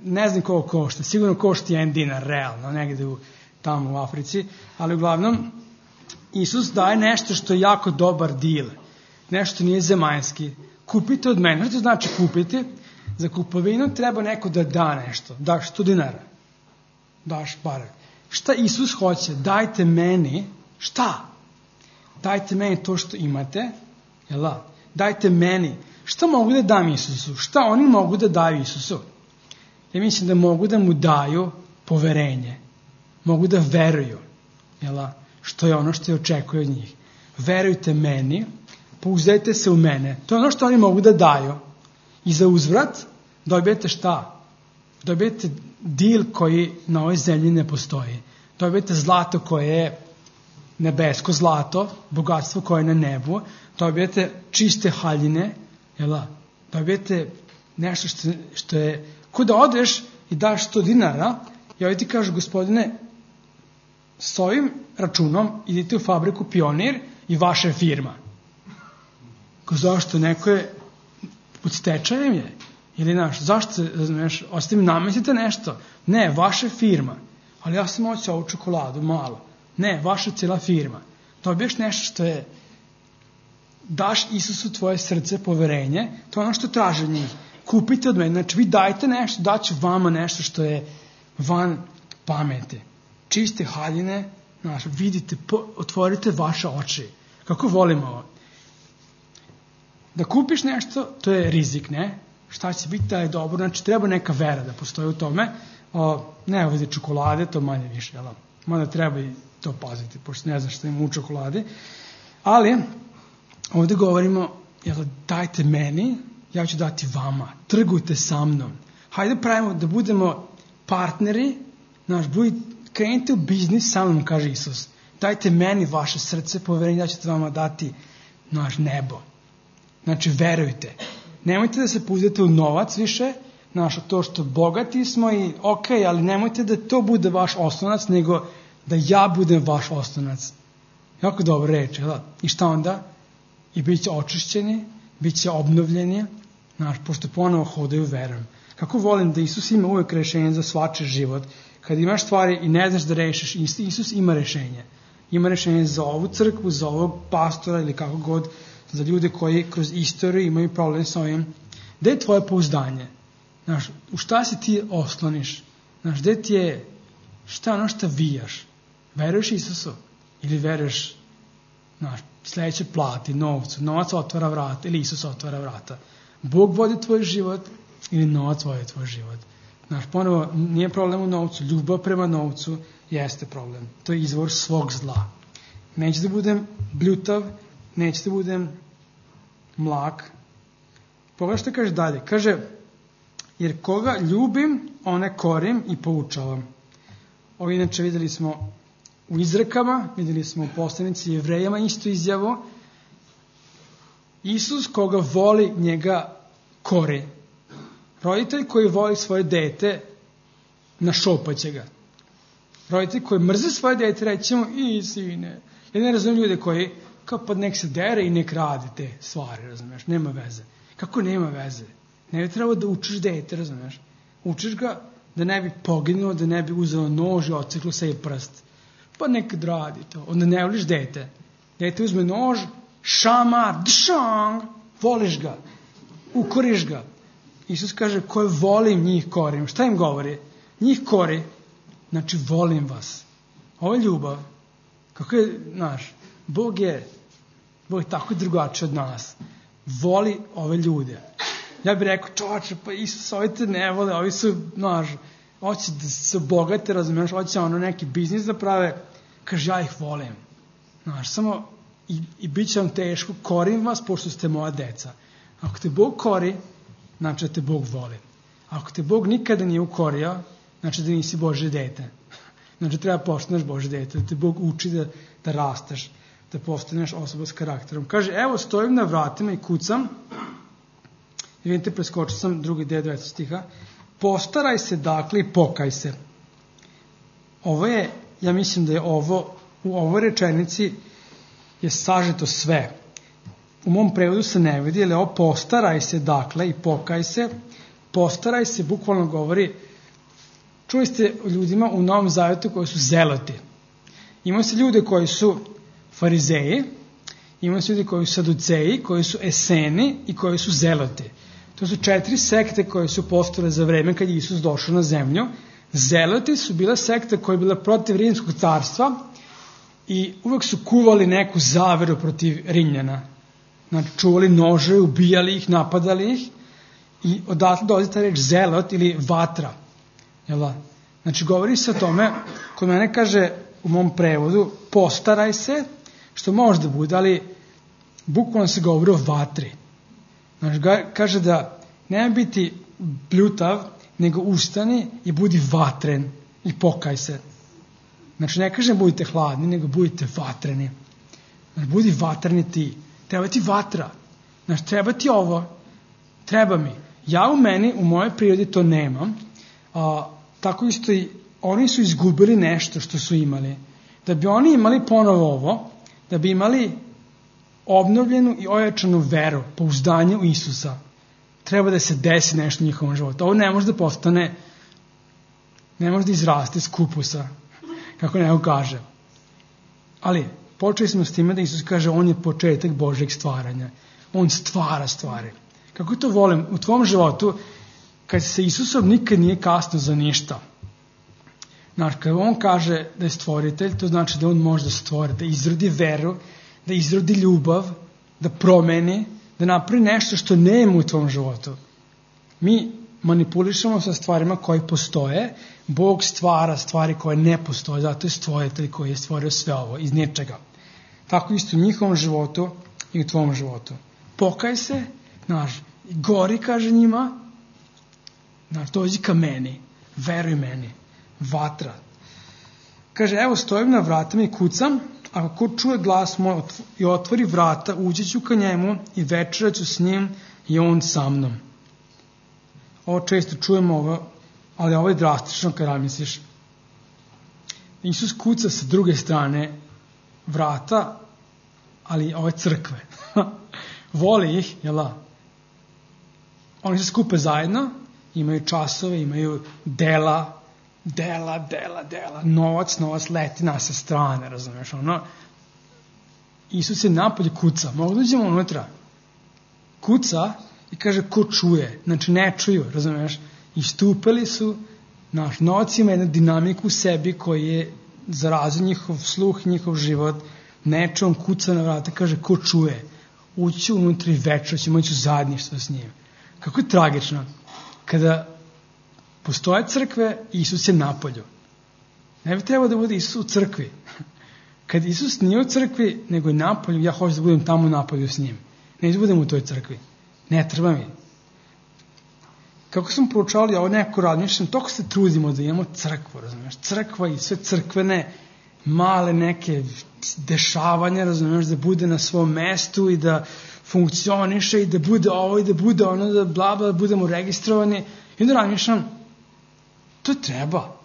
ne znam koliko košta, sigurno košta jedan dinar, realno, negde u, tamo u Africi, ali uglavnom, Isus daje nešto što je jako dobar deal, nešto nije zemaljski. Kupite od mene, što znači kupiti? Za kupovinu treba neko da da nešto, daš sto dinara, daš pare. Šta Isus hoće? Dajte meni, šta? Dajte meni to što imate, jel da? Dajte meni, šta mogu da dam Isusu? Šta oni mogu da daju Isusu? Ja mislim da mogu da mu daju poverenje. Mogu da veruju. Jel? Što je ono što je očekuje od njih. Verujte meni, pouzdajte se u mene. To je ono što oni mogu da daju. I za uzvrat dobijete šta? Dobijete dil koji na ovoj zemlji ne postoji. Dobijete zlato koje je nebesko zlato, bogatstvo koje je na nebu. Dobijete čiste haljine. Jel? Dobijete nešto što, što je... Ko da odeš i daš sto dinara, i ovdje ti kažu, gospodine, s ovim računom idite u fabriku Pionir i vaša je firma. Ko zašto? Neko je pod stečajem je? Ili naš, zašto, znaš, ostavim nametite nešto? Ne, vaša firma. Ali ja sam hoću ovu čokoladu, malo. Ne, vaša cijela firma. Dobiješ nešto što je, daš Isusu tvoje srce, poverenje, to je ono što traže njih. Kupite od mene, znači vi dajte nešto, daću vama nešto što je van pameti. Čiste haljine, znaš, vidite, po, otvorite vaše oči. Kako volimo ovo? Da kupiš nešto, to je rizik, ne? Šta će biti da je dobro, znači treba neka vera da postoji u tome. O, ne ovdje čokolade, to manje više, jel? Mada treba i to paziti, pošto ne znam što ima u čokoladi. Ali, ovdje govorimo, jel, dajte meni, ja ću dati vama, trgujte sa mnom. Hajde pravimo da budemo partneri, znaš, budi, krenite u biznis sa mnom, kaže Isus. Dajte meni vaše srce, poverenje, ja ću vama dati naš nebo. Znači, verujte. Nemojte da se pouzdate u novac više, znaš, to što bogati smo i ok, ali nemojte da to bude vaš oslonac, nego da ja budem vaš oslonac. Jako dobro reč, jel da? I šta onda? I bit će očišćeni, bit će obnovljeni, znaš, pošto ponovo hodaju verom. Kako volim da Isus ima uvijek rešenje za svačiji život. Kad imaš stvari i ne znaš da rešiš, Isus ima rešenje. Ima rešenje za ovu crkvu, za ovog pastora ili kako god, za ljude koji kroz istoriju imaju problem sa ovim. Gde je tvoje pouzdanje? Znaš, u šta se ti osloniš? Znaš, gde ti je, šta ono što vijaš? Veruješ Isusu? Ili veruješ, znaš, sledeće plati, novcu, novac otvara vrata ili Isus otvara vrata. Bog vodi tvoj život ili novac vodi tvoj život. Znaš, ponovo, nije problem u novcu, ljubav prema novcu jeste problem. To je izvor svog zla. Neće da budem bljutav, neće da budem mlak. Pogledaj što kaže dalje. Kaže, jer koga ljubim, one korim i poučavam. Ovo inače videli smo u izrekama, videli smo u poslanici Jevrejama isto izjavu. Isus koga voli, njega kori. Roditelj koji voli svoje dete, našopaće ga. Roditelj koji mrze svoje dete, reći mu, i sine. Ja ne razumijem ljude koji kao pa nek se dere i nek radi te stvari, razumeš, nema veze. Kako nema veze? Ne bi trebalo da učiš dete, razumeš? Učiš ga da ne bi poginuo, da ne bi uzeo nož i odseklo sebi prst. Pa nekad radi to. Onda ne voliš dete. Dete uzme nož, šamar, dšang, voliš ga, ukoriš ga. Isus kaže, koje volim, njih korim. Šta im govori? Njih kori, znači volim vas. Ovo je ljubav. Kako je, znaš, Bog je, Bog je tako drugačiji od nas. Voli ove ljude. Ja bih rekao, čovače, pa Isus, ovi te ne vole, ovi su, znaš, hoće da se obogate, razumiješ, hoće ono neki biznis da prave, kaže, ja ih volim. Znaš, samo, i, i bit će vam teško, korim vas, pošto ste moja deca. Ako te Bog kori, znači da te Bog voli. Ako te Bog nikada nije ukorio, znači da nisi Božje dete. Znači treba postaneš Božje dete, da te Bog uči da, da rasteš, da postaneš osoba s karakterom. Kaže, evo stojim na vratima i kucam, i vidite, preskočio sam drugi deo devetog stiha, postaraj se dakle i pokaj se. Ovo je, ja mislim da je ovo, u ovoj rečenici je sažeto sve. U mom prevodu se ne vidi, ali ovo postaraj se dakle i pokaj se. Postaraj se bukvalno govori, čuli ste o ljudima u Novom Zavetu koji su zeloti. Ima se ljude koji su farizeji, ima se ljudi koji su saduceji, koji su eseni i koji su zeloti. To su četiri sekte koje su postojale za vreme kad je Isus došao na zemlju. Zeloti su bila sekta koja je bila protiv Rimskog carstva i uvek su kuvali neku zaveru protiv Rimljana. Znači, čuvali nože, ubijali ih, napadali ih i odatle dolazi ta reč zelot ili vatra. Jel? Znači, govori se o tome, kod mene kaže u mom prevodu, postaraj se, što može da bude, ali bukvalno se govori o vatri. Znači, kaže da nema biti bljutav, nego ustani i budi vatren i pokaj se. Znači, ne kaže budite hladni, nego budite vatreni. Znači, budi vatreni ti. Treba ti vatra. Znači, treba ti ovo. Treba mi. Ja u meni, u mojoj prirodi to nemam. A, tako isto i oni su izgubili nešto što su imali. Da bi oni imali ponovo ovo, da bi imali obnovljenu i ojačanu veru, pouzdanje u Isusa, treba da se desi nešto u njihovom životu. Ovo ne može da postane, ne može da izraste iz kupusa, kako neko kaže. Ali, počeli smo s time da Isus kaže, on je početak Božjeg stvaranja. On stvara stvari. Kako to volim, u tvom životu, kad se Isusom nikad nije kasno za ništa. Znači, kad on kaže da je stvoritelj, to znači da on može da stvori, da izrodi veru, da izrodi ljubav, da promeni, da napravi nešto što nema u tvom životu. Mi manipulišemo sa stvarima koje postoje, Bog stvara stvari koje ne postoje, zato je stvoritelj koji je stvorio sve ovo iz ničega. Tako isto u njihovom životu i u tvom životu. Pokaj se, znaš, gori, kaže njima, znaš, dođi ka meni, veruj meni, vatra. Kaže, evo stojim na vratima i kucam, ako ko čuje glas moj i otvori vrata, ući ću ka njemu i večerat ću s njim i on sa mnom. Ovo često čujemo, ovo, ali ovo je drastično kad razmisliš. Isus kuca sa druge strane vrata, ali ove crkve. Voli ih, jel' oni se skupe zajedno, imaju časove, imaju dela, dela, dela, dela, novac, novac leti na sa strane, razumeš, ono. Isus je napolje kuca, mogu da uđemo unutra. Kuca i kaže ko čuje, znači ne čuju, razumeš, istupili su, naš novac ima jednu dinamiku u sebi koji je zarazio njihov sluh, njihov život, neče, on kuca na vrata, kaže ko čuje, ući unutra i večer, ćemo ići u zajedništvo s njim. Kako je tragično, kada postoje crkve, Isus je napolju. Ne bi trebalo da bude Isus u crkvi. Kad Isus nije u crkvi, nego je napolju, ja hoću da budem tamo napolju s njim. Ne da budem u toj crkvi. Ne treba mi. Kako smo proučavali ovo neko razmišljam, toliko se trudimo da imamo crkvu, razumiješ? Crkva i sve crkvene male neke dešavanja, razumiješ, da bude na svom mestu i da funkcioniše i da bude ovo i da bude ono, da bla bla, da budemo registrovani. I onda razmišljam, to treba.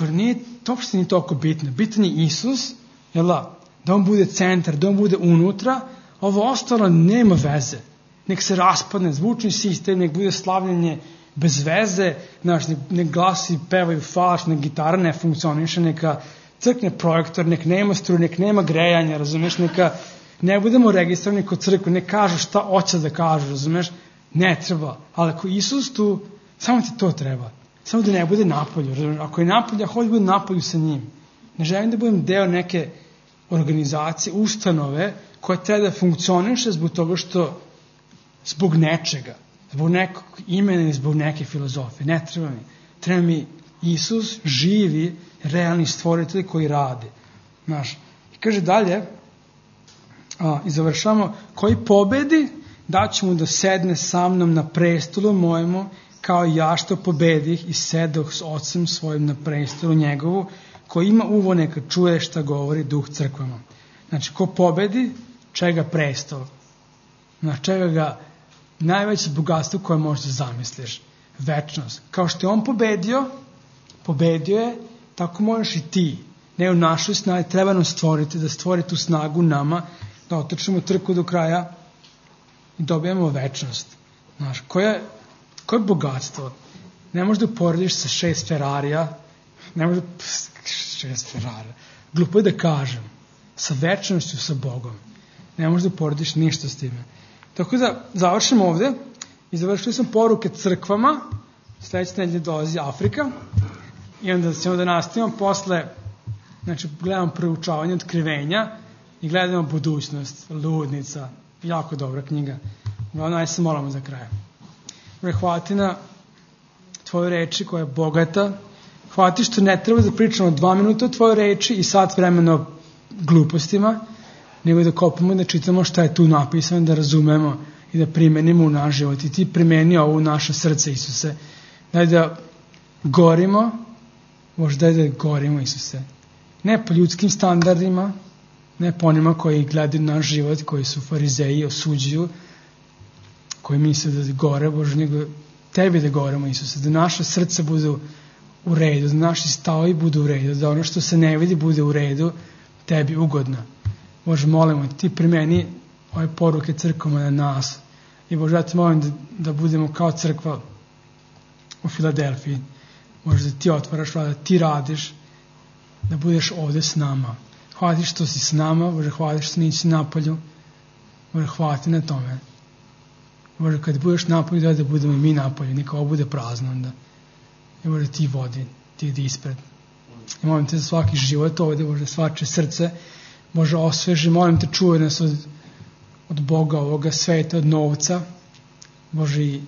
Jer nije, to uopšte nije toliko bitno. Bitan je Isus, jel da? da on bude centar, da on bude unutra, ovo ostalo nema veze. Nek se raspadne zvučni sistem, nek bude slavljenje bez veze, znaš, nek, nek glasi pevaju falš, nek gitara ne funkcioniše, neka crkne projektor, nek nema struje, nek nema grejanja, razumeš, neka ne budemo registrovani kod crkve, ne kažu šta hoće da kažu, razumeš, ne treba, ali ako Isus tu, samo ti to treba, samo da ne bude napolju, razumeš, ako je napolju, ja hoću da budem napolju sa njim, ne želim da budem deo neke organizacije, ustanove, koja treba da funkcioniše zbog toga što, zbog nečega, zbog nekog imena i zbog neke filozofije, ne treba mi, treba mi Isus, živi, realni stvoritelj koji radi, znaš, i kaže dalje, a, i završamo, koji pobedi, daću mu da sedne sa mnom na prestolu mojemu, kao ja što pobedih i sedoh s ocem svojim na prestolu njegovu, koji ima uvo neka čuje šta govori duh crkvama. Znači, ko pobedi, čega prestol? Znači, čega ga najveće bogatstvo koje možeš da zamisliš? Večnost. Kao što je on pobedio, pobedio je, tako možeš i ti. Ne u našoj snazi, treba nam stvoriti, da stvori tu snagu nama, da otrčimo trku do kraja i dobijemo večnost. Znaš, koje, koje bogatstvo? Ne možeš da uporediš sa šest Ferrarija, ne možeš da, šest Ferrarija, glupo je da kažem, sa večnošću, sa Bogom. Ne možeš da uporediš ništa s time. Tako da završimo ovde i završili smo poruke crkvama, sledeće nedelje dolazi Afrika i onda ćemo da nastavimo posle, znači gledamo proučavanje otkrivenja i gledamo budućnost, Ludnica, jako dobra knjiga. Uglavnom, ajde se molamo za kraj. Hvala ti na tvoje reči koja je bogata. Hvala ti što ne treba da pričamo dva minuta o tvojoj reči i sat vremena o glupostima, nego da kopamo i da čitamo šta je tu napisano, da razumemo i da primenimo u naš život. I ti primeni ovo u naše srce, Isuse. Daj da gorimo, možda daj da gorimo, Isuse. Ne po ljudskim standardima, ne po onima koji gledaju naš život, koji su farizeji, osuđuju, koji misle da gore, Bože, nego tebi da goremo, Isuse, da naše srce budu u redu, da naši stavovi budu u redu, da ono što se ne vidi bude u redu, tebi ugodno. Bože, molimo, ti primeni ove poruke crkvama na nas. I Bože, ja te molim da, da budemo kao crkva u Filadelfiji. Bože, da ti otvaraš, da ti radiš, da budeš ovde s nama. Hvala ti što si s nama, Bože, hvala ti što nisi napolju. Bože, hvala ti na tome. Bože, kad budeš napolju, da, da budemo i mi napolju, neka ovo bude prazno onda. I Bože, ti vodi, ti idi ispred. I molim te za svaki život ovde, Bože, svače srce, Bože, osveži, molim te, čuvaj nas od, od Boga, ovoga sveta, od novca, Bože, i